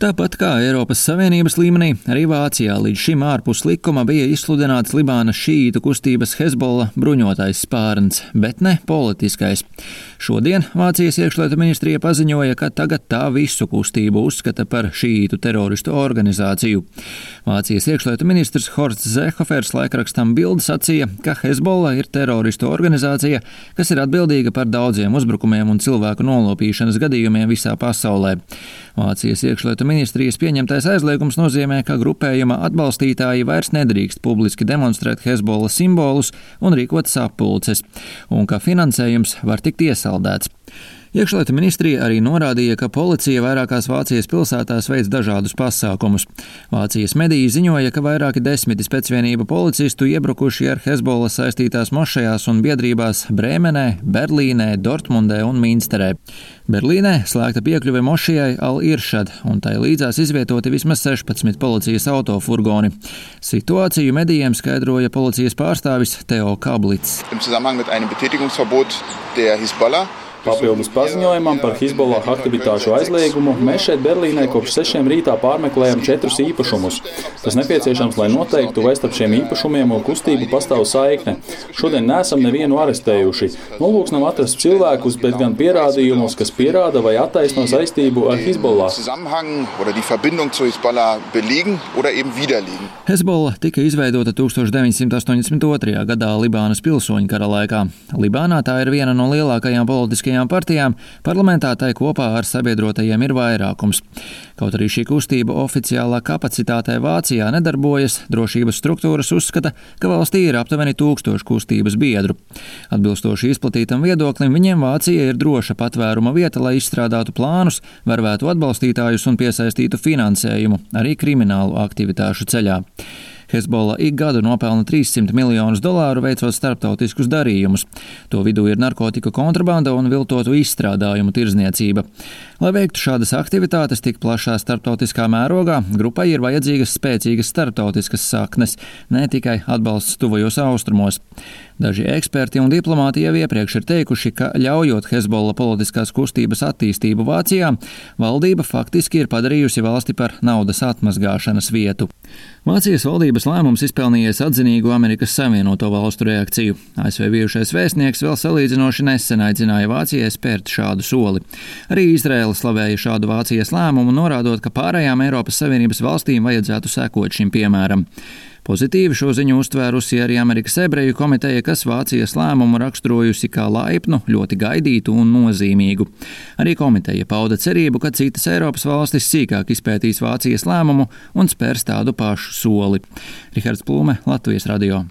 Tāpat kā Eiropas Savienības līmenī, arī Vācijā līdz šim ārpus likuma bija izsludināts Libānas šīītu kustības Hezbollah bruņotais spārns, bet ne politiskais. Šodien Vācijas iekšlietu ministrija paziņoja, ka tagad tā visu kustību uzskata par šīītu teroristu organizāciju. Vācijas iekšlietu ministrs Horsts Seehofers laikrakstam Bild sacīja, ka Hezbollah ir teroristu organizācija, kas ir atbildīga par daudziem uzbrukumiem un cilvēku nolopīšanas gadījumiem visā pasaulē. Vācijas iekšlietu ministrijas pieņemtais aizliegums nozīmē, ka grupējuma atbalstītāji vairs nedrīkst publiski demonstrēt Hezbollah simbolus un rīkot sapulces, un ka finansējums var tikt iesaldēts. Iekšlietu ministrija arī norādīja, ka policija vairākās Vācijas pilsētās veic dažādus pasākumus. Vācijas mediji ziņoja, ka vairāki desmiti specvienību policistu iebrukuši ar Hezbollah saistītās mošajās un biedrībās Brēmenē, Berlīnē, Dortmundē un Minsterē. Berlīnē slēgta piekļuve mošajai Al-Iršad, un tai līdzās izvietoti vismaz 16 policijas autofurgoni. Situāciju medijiem skaidroja policijas pārstāvis Theo Kablits. Papildus paziņojumam par Hezbollah aktivitāšu aizliegumu mēs šeit Berlīnē kopš 6 rītā pārmeklējam 4 īpašumus. Tas nepieciešams, lai noteiktu, vai starp šiem īpašumiem un kustību pastāv saikne. Šodien neesam nevienu arestējuši. Nolūks nav atrast cilvēkus, bet gan pierādījumus, kas pierāda vai attaisno saistību ar Hezbollah. Hezbollah tika izveidota 1982. gadā Libānas pilsoņu kara laikā. Libānā tā ir viena no lielākajām politiskajām partijām, parlamentā tai kopā ar sabiedrotajiem ir vairākums. Kaut arī šī kustība oficiālā kapacitātē Vācijā nedarbojas, drošības struktūras uzskata, ka valstī ir aptuveni 1000 kustības biedru. Atbilstoši izplatītam viedoklim, viņiem Vācija ir droša patvēruma vieta, lai izstrādātu plānus, vervētu atbalstītājus un piesaistītu finansējumu arī kriminālu aktivitāšu ceļā. Hezbollah ik gadu nopelna $300 miljonus veicot starptautiskus darījumus. To vidū ir narkotiku kontrabanda un viltotu izstrādājumu tirdzniecība. Lai veiktu šādas aktivitātes tik plašā starptautiskā mērogā, grupai ir vajadzīgas spēcīgas starptautiskas saknes, ne tikai atbalsts tuvajos austrumos. Daži eksperti un diplomāti jau iepriekš ir teikuši, ka ļaujot Hezbollah politiskās kustības attīstību Vācijā, valdība faktiski ir padarījusi valsti par naudas atmazgāšanas vietu. Vācijas valdības lēmums izpelnījies atzinīgu Amerikas Savienoto Valstu reakciju. ASV bijušais vēstnieks vēl salīdzinoši nesen aicināja Vācijai spērt šādu soli. Arī Izraela slavēja šādu Vācijas lēmumu, norādot, ka pārējām Eiropas Savienības valstīm vajadzētu sekot šim piemēram. Pozitīvi šo ziņu uztvērusi arī Amerikas ebreju komiteja, kas Vācijas lēmumu raksturojusi kā laipnu, ļoti gaidītu un nozīmīgu. Arī komiteja pauda cerību, ka citas Eiropas valstis sīkāk izpētīs Vācijas lēmumu un spērs tādu pašu soli. Rihards Plūme, Latvijas radio.